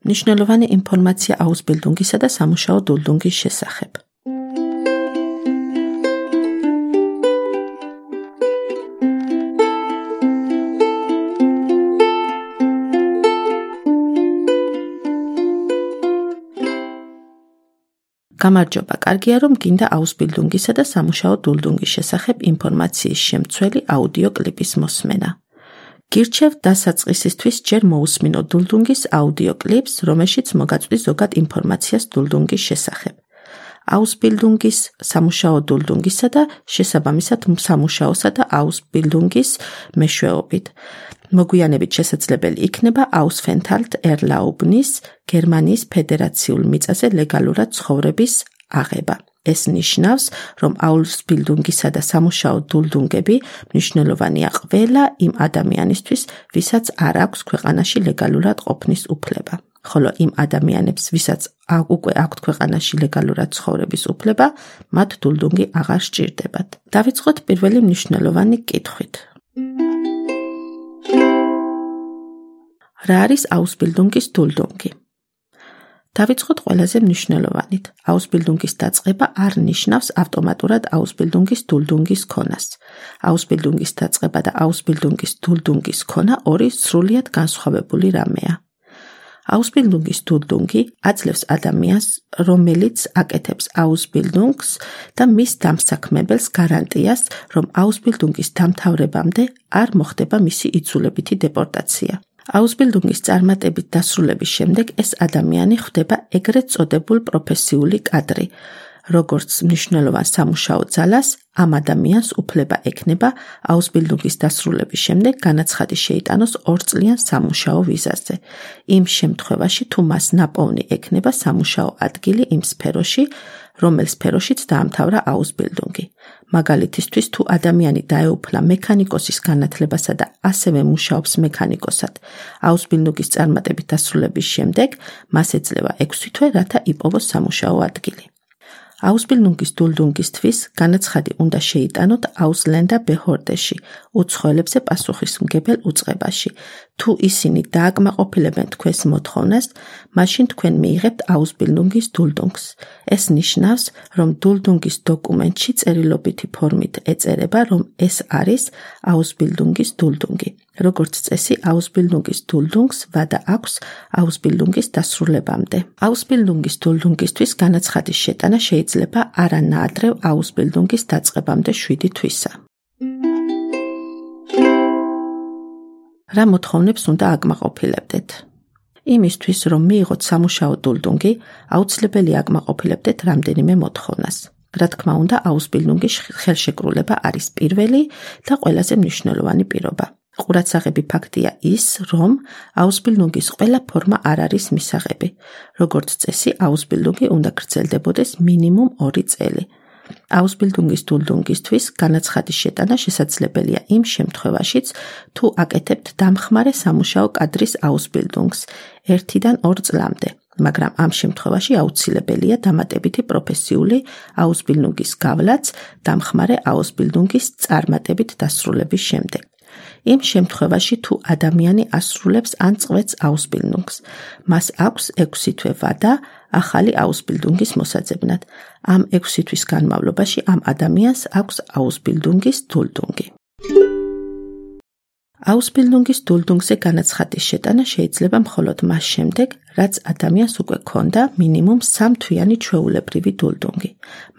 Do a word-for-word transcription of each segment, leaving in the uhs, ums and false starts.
მნიშვნელოვანი ინფორმაცია აუსბილდუნგისა და სამუშაო დულდუნგის შესახებ. გამარჯობა, კარგია რომ გინდა აუსბილდუნგისა და სამუშაო დულდუნგის შესახებ ინფორმაციის შემცველი აუდიო კლიპის მოსმენა. გირჩევთ დასაწყისისთვის ჯერ მოусმინო დულდუნგის აუდიო კლიპს, რომელშიც მოგაწვდის ზოგად ინფორმაციას დულდუნგის შესახებ. აუსბილდუნგის, სამუშაო დულდუნგისა და შესაბამისად სამუშაოსა და აუსბილდუნგის მეშვეობით. მოგვიანებით შესაძლებელი იქნება აუსფენთალტ ერლაუბნის გერმანიის ფედერაციულ მიწაზე ლეგალურად ცხოვრების აღება. ეს ნიშნავს, რომ აუსბილდუნგისა და სამუშაო დულდუნგები მნიშვნელოვანია ყველა იმ ადამიანისთვის, ვისაც არ აქვს ქვეყანაში ლეგალურად ყოფნის უფლება. ხოლო იმ ადამიანებს, ვისაც უკვე აქვთ ქვეყანაში ლეგალურად ცხოვრების უფლება, მათ დულდუნგი აღარ სჭირდებათ. დავიწყოთ პირველი მნიშვნელოვანი კითხვით. რა არის აუსბილდუნგის დულდუნგი? დავიწყოთ ყველაზე მნიშვნელოვანით. აუსბილდუნგის დაწყება არ ნიშნავს ავტომატურად აუსბილდუნგის დულდუნგის ქონას. აუსბილდუნგის დაწყება და აუსბილდუნგის დულდუნგის ქონა ორი სრულიად განსხვავებული რამეა. აუსბილდუნგის დულდუნგი აძლევს ადამიანს, რომელიც აკეთებს აუსბილდუნგს და მის დამსაქმებელს გარანტიას, რომ აუსბილდუნგის დამთავრებამდე არ მოხდება მისი იძულებითი დეპორტაცია. აუსბილდუნგის წარმატებით დასრულების შემდეგ ეს ადამიანი ხდება ეგრეთ წოდებულ პროფესიული კადრი. როგორც მნიშვნელოვან სამუშაო ძალას, ამ ადამიანს უფლება ექნება აუსბილდუნგის დასრულების შემდეგ განაცხადი შეიტანოს ორწლიან სამუშაო ვიზაზე. იმ შემთხვევაში, თუ მას ნაპოვნი ექნება სამუშაო ადგილი იმ სფეროში, რომელ სფეროშიც დაამთავრა აუსბილდუნგი. მაგალითისთვის, თუ ადამიანი დაეუფლა მექანიკოსის განათლებასა და ასევე მუშაობს მექანიკოსად, აუსბილდუნგის წარმატებით დასრულების შემდეგ მას ეძლევა ექვსი თვე, რათა იპოვოს სამუშაო ადგილი. აუსბილდუნგის დულდუნგისთვის განაცხადი უნდა შეიტანოთ აუსლენდა ბეჰორდეში, უცხოელებზე პასუხისმგებელ უწყებაში. თუ ისინი დააკმაყოფილებენ თქვენს მოთხოვნას, მაშინ თქვენ მიიღებთ აუსბილდუნგის დულდუნგს. ეს ნიშნავს, რომ დულდუნგის დოკუმენტში წერილობითი ფორმით ეწერება, რომ ეს არის აუსბილდუნგის დულდუნგი. როგორც წესი, აუსბილდუნგის დულდუნგს ვადა აქვს აუსბილდუნგის დასრულებამდე. აუსბილდუნგის დულდუნგისთვის განაცხადის შეტანა შეიძლება არანაადრევ აუსბილდუნგის დაწყებამდე შვიდი თვისა. რა მოთხოვნებს უნდა აკმაყოფილებდეთ? იმისთვის, რომ მიიღოთ სამუშაო დულდუნგი, აუცილებელი აკმაყოფილებდეთ რამდენიმე მოთხოვნას. რა თქმა უნდა, აუსბილდუნგის ხელშეკრულება არის პირველი და ყველაზე მნიშვნელოვანი პირობა. ყურადსაღები ფაქტია ის, რომ აუსბილდუნგის ყველა ფორმა არ არის მისაღები. როგორც წესი, აუსბილდუნგი უნდა გრძელდებოდეს მინიმუმ ორი წელი. აუსბილდუნგის დულდუნგისთვის განაცხადის შეტანა შესაძლებელია იმ შემთხვევაშიც, თუ აკეთებთ დამხმარე სამუშაო კადრის აუსბილდუნგს ერთიდან ორ წლამდე, მაგრამ ამ შემთხვევაში აუცილებელია დამატებითი პროფესიული აუსბილდუნგის გავლაც დამხმარე აუსბილდუნგის წარმატებით დასრულების შემდეგ. იმ შემთხვევაში, თუ ადამიანი ასრულებს ან წყვეტს აუსბილდუნგს, მას აქვს ექვსი თვე ვადა ახალი აუსბილდუნგის მოსაძებნად. ამ ექვსი თვის განმავლობაში ამ ადამიანს აქვს აუსბილდუნგის დულდუნგი. აუსბილდუნგის დულდუნგზე განაცხადის შეტანა შეიძლება მხოლოდ მას შემდეგ, რაც ადამიანს უკვე ჰქონდა მინიმუმ სამთვიანი ჩვეულებრივი დულდუნგი,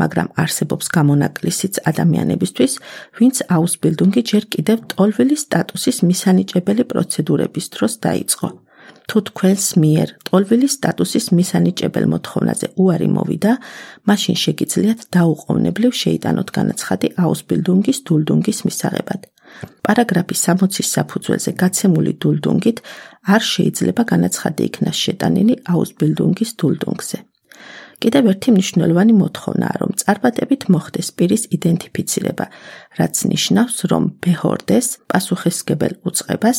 მაგრამ არსებობს გამონაკლისიც ადამიანებისთვის, ვინც აუსბილდუნგი ჯერ კიდევ ტოლვილის სტატუსის მისანიჭებელი პროცედურების დროს დაიწყო. თუ თქვენს მიერ ტოლვილის სტატუსის მისანიჭებელ მოთხოვნაზე უარი მოვიდა, მაშინ შეგიძლიათ დაუყოვნებლივ შეიტანოთ განაცხადი აუსბილდუნგის დულდუნგის მისაღებად. პარაგრაფი სამოცის საფუძველზე გაცემული დულდუნგით არ შეიძლება განაცხადი იქნას შეტანილი აუსბილდუნგის დულდუნგზე. კიდევ ერთი მნიშვნელოვანი მოთხოვნაა, რომ წარმატებით მოხდეს პირის იდენტიფიცირება, რაც ნიშნავს, რომ ბეჰორდეს, პასუხისმგებელ უწყებას,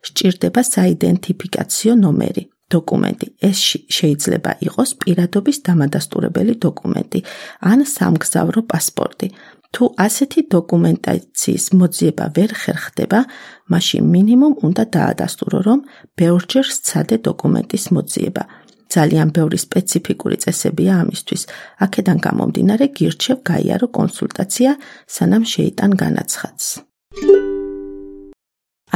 სჭირდება საიდენტიფიკაციო ნომერი. დოკუმენტი. ეს შეიძლება იყოს პირადობის დამადასტურებელი დოკუმენტი ან სამგზავრო პასპორტი. თუ ასეთი დოკუმენტაციის მოძიება ვერ ხერხდება, მაშინ მინიმუმ უნდა დაადასტურო, რომ ბევრჯერ სცადე დოკუმენტის მოძიება. ძალიან ბევრი სპეციფიკური წესებია ამისთვის. აქედან გამომდინარე გირჩევ გაიარო კონსულტაცია, სანამ შეიტან განაცხადს.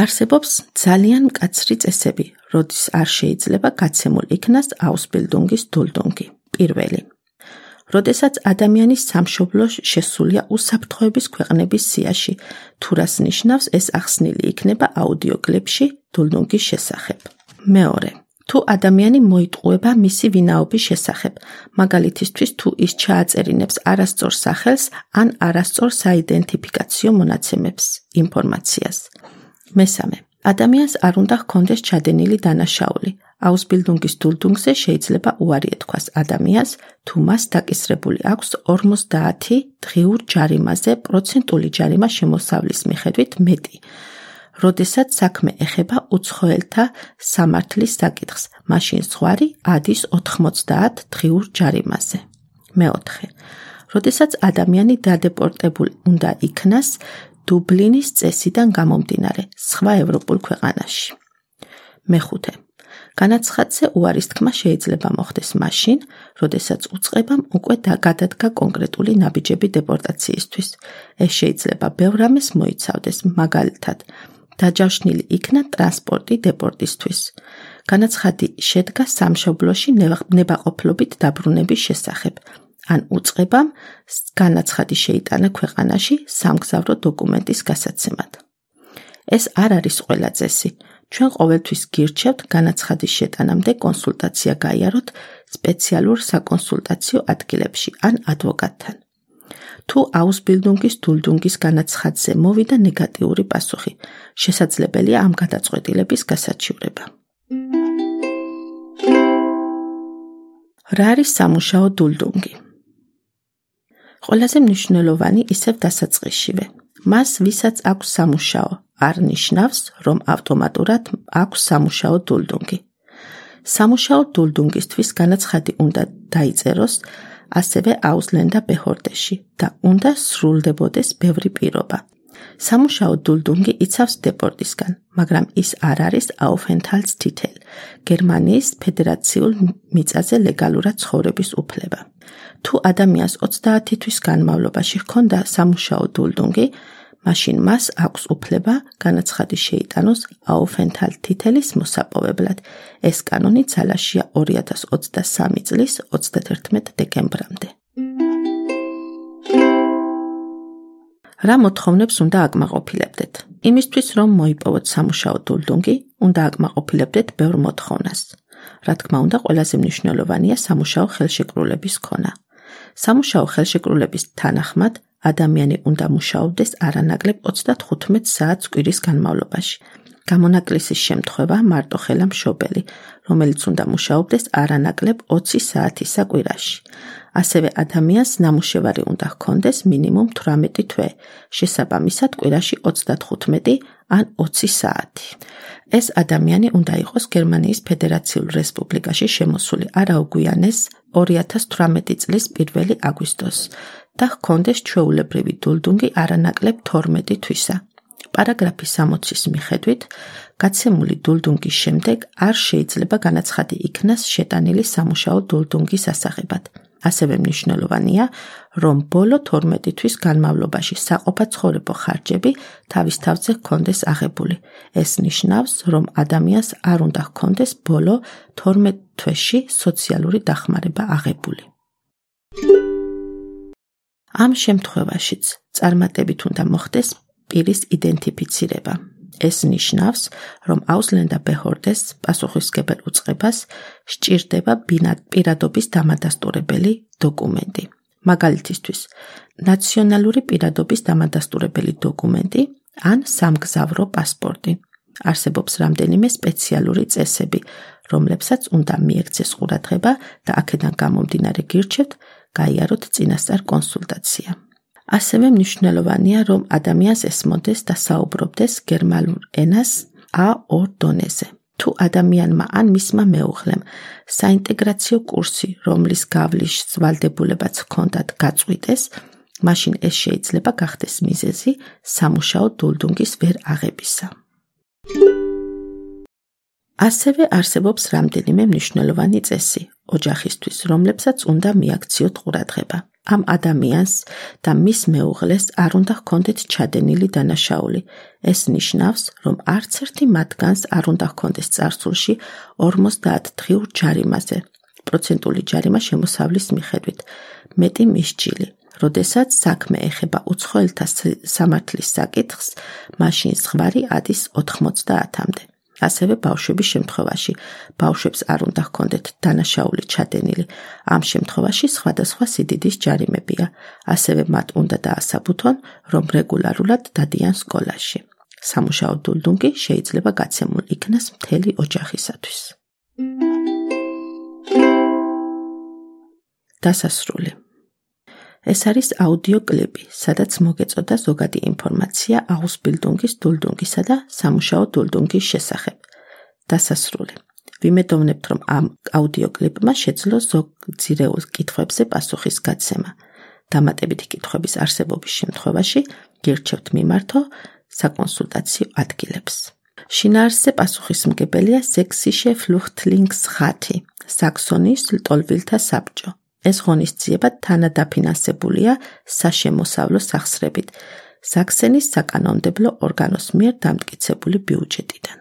არსებობს ძალიან მკაცრი წესები, როდის არ შეიძლება გაცემულ იქნას Ausbildungis Duldungi. პირველი. როდესაც ადამიანის სამშობლო შესულია უსაფრთხოების ქვეყნების სიაში, თუ რას ნიშნავს ეს ახსნილი იქნება აუდიოკლიპში დულდუნგის შესახებ. მეორე. თუ ადამიანი მოიტყუება მისი ვინაობის შესახებ, მაგალითისთვის თუ ის ჩააწერინებს არასწორ სახელს ან არასწორ საიდენტიფიკაციო მონაცემებს, ინფორმაციას. მესამე. ადამიანს არ უნდა ჰქონდეს ჩადენილი დანაშაული. Ausbildungis Duldungზე შეიძლება უარი ეთქვას ადამიანს, თუ მას დაკისრებული აქვს ორმოცდაათი დღიურ ჯარიმაზე პროცენტული ჯარიმა შემოსავლის მიხედვით მეტი. როდესაც საქმე ეხება უცხოელთა სამართლის საკითხს, მაშინ ზღვარი ადის ოთხმოცდაათ დღიურ ჯარიმაზე. მეოთხე. როდესაც ადამიანი დადებორტებული უნდა იქნას დუბლინის წესიდან გამომდინარე სხვა ევროპულ ქვეყანაში. მეხუთე. განაცხადზე უარის თქმა შეიძლება მოხდეს მაშინ, როდესაც უწყებამ უკვე გადადგა კონკრეტული ნაბიჯები დეპორტაციისთვის. ეს შეიძლება ბევრ რამეს მოიცავდეს, მაგალითად, დაჯავშნილი იქნა ტრანსპორტი დეპორტისთვის. განაცხადი შედგა სამშობლოში ნებაყოფლობით დაბრუნების შესახებ, ან უწყებამ განაცხადი შეიტანა ქვეყანაში სამგზავრო დოკუმენტის გასაცემად. ეს არ არის ყველა წესი. ჩვენ ყოველთვის გირჩევთ განაცხადის შეტანამდე კონსულტაცია გაიაროთ სპეციალურ საკონსულტაციო ადგილებში ან ადვოკატთან. თუ Ausbildungis Duldungis განაცხადზე მოვიდა ნეგატიური პასუხი, შესაძლებელია ამ გადაწყვეტილების გასაჩივრება. რა არის სამუშაო დულდუნგი? ყველაზე მნიშვნელოვანი ისევ დასაწყისშივე. მას ვისაც აქვს სამუშაო, არ ნიშნავს, რომ ავტომატურად აქვს სამუშაო დულდუნგი. სამუშაო დულდუნგისთვის განაცხადი უნდა დაიწეროს ასევე Ausländer Behördeში და უნდა სრულდებოდეს ბევრი პირობა. სამუშაო დულდუნგი იცავს დეპორტისგან, მაგრამ ის არ არის Aufenthaltstitel, გერმანიის ფედერაციულ მიწაზე ლეგალურად ცხოვრების უფლება. თუ ადამიანს ოცდაათი თვის განმავლობაში ჰქონდა სამუშაო დულდუნგი, მაშინ მას აქვს უფლება განაცხადი შეიტანოს Aufenthaltstitelis მოსაპოვებლად. ეს კანონი ძალაშია ორი ათას ოცდასამი წლის ოცდათერთმეტ დეკემბრამდე. რა მოთხოვნებს უნდა აკმაყოფილებდეთ? იმისთვის, რომ მოიპოვოთ სამუშაო დულდუნგი, უნდა აკმაყოფილებდეთ ბევრ მოთხოვნას. რა თქმა უნდა, ყველაზე მნიშვნელოვანია სამუშაო ხელშეკრულების ქონა. სამუშაო ხელშეკრულების თანახმად, ადამიანი უნდა მუშაობდეს არანაკლებ ოცდათხუთმეტ საათს კვირის განმავლობაში. გამონაკლისის შემთხვევა მარტოხელა მშობელი, რომელიც უნდა მუშაობდეს არანაკლებ ოცი საათისა კვირაში. ასევე ადამიანს ნამუშევარი უნდა ჰქონდეს მინიმუმ თვრამეტი თვე, შესაბამისად კვირაში ოცდათხუთმეტი ან ოცი საათი. ეს ადამიანი უნდა იყოს გერმანიის ფედერაციულ რესპუბლიკაში შემოსული არაუგვიანეს ორი ათას თვრამეტი წლის პირველი აგვისტოს და ჰქონდეს ჩვეულებრივი დულდუნგი არანაკლებ თორმეტი თვისა. პარაგრაფი სამოცის მიხედვით, გაცემული დულდუნგის შემდეგ არ შეიძლება განაცხადი იქნას შეტანილი სამუშაო დულდუნგის ასაღებად. ასევე მნიშვნელოვანია, რომ ბოლო თორმეტი თვის განმავლობაში საყოფაცხოვრებო ხარჯები თავის თავზე ჰქონდეს აღებული. ეს ნიშნავს, რომ ადამიანს არ უნდა ჰქონდეს ბოლო თორმეტ თვეში სოციალური დახმარება აღებული. ამ შემთხვევაშიც წარმატებით უნდა მოხდეს პირის იდენტიფიცირება. ეს ნიშნავს, რომ Ausländer Behördes პასუხისმგებელ უწყებას სჭირდება პირადობის დამადასტურებელი დოკუმენტი. მაგალითისთვის, ნაციონალური პირადობის დამადასტურებელი დოკუმენტი ან სამგზავრო პასპორტი. არსებობს რამდენიმე სპეციალური წესები, რომლებსაც უნდა მიექცეს ყურადღება და აქედან გამომდინარე გირჩევთ გაიაროთ წინასწარ კონსულტაცია. ასევე მნიშვნელოვანია, რომ ადამიანს ესმოდეს და საუბრობდეს გერმანულ ენას ა ორ დონეზე. თუ ადამიანმა ან მისმა მეუღლემ საინტეგრაციო კურსი, რომლის გავლის ვალდებულებაც ჰქონდათ, გაწყვიტეს, მაშინ ეს შეიძლება გახდეს მიზეზი სამუშაო დულდუნგის ვერ აღებისა. ასევე არსებობს რამდენიმე მნიშვნელოვანი წესი ოჯახისთვის, რომლებსაც უნდა მიაქციოთ ყურადღება. ამ ადამიანს და მის მეუღლეს არ უნდა ჰქონდეთ ჩადენილი დანაშაული. ეს ნიშნავს, რომ არც ერთი მათგანს არ უნდა ჰქონდეს წარსულში ორმოცდაათ დღიურ ჯარიმაზე, პროცენტული ჯარიმა შემოსავლის მიხედვით, მეტი მისჯილი. როდესაც საქმე ეხება უცხოელთა სამართლის საკითხს, მაშინ ზღვარი ადის ოთხმოცდაათამდე. ასევე ბავშვების შემთხვევაში, ბავშვებს არ უნდა ჰქონდეთ დანაშაული ჩადენილი. ამ შემთხვევაში სხვადასხვა სიდიდის ჯარიმებია. ასევე მათ უნდა დაასაბუთონ, რომ რეგულარულად დადიან სკოლაში. სამუშაო დულდუნგი შეიძლება გაცემულ იქნას მთელი ოჯახისათვის. დასასრული. ეს არის აუდიო კლიპი, სადაც მოგეწოდა ზოგადი ინფორმაცია აუსბილდუნგის დულდუნგისა და სამუშაო დულდუნგის შესახებ. დასასრული. ვიმედოვნებთ, რომ ამ აუდიო კლიპმა შეძლო ზოგ ძირეულ კითხვებზე პასუხის გაცემა. დამატებითი კითხვების არსებობის შემთხვევაში გირჩევთ მიმართო საკონსულტაციო ადგილებს. შინაარსზე პასუხისმგებელია Sächsische Flüchtlingsräte, საქსონიის ლტოლვილთა საბჭო. ეს ღონისძიება თანადაფინანსებულია საშემოსავლო სახსრებით, საქსენის საკანონმდებლო ორგანოს მიერ დამტკიცებული ბიუჯეტიდან.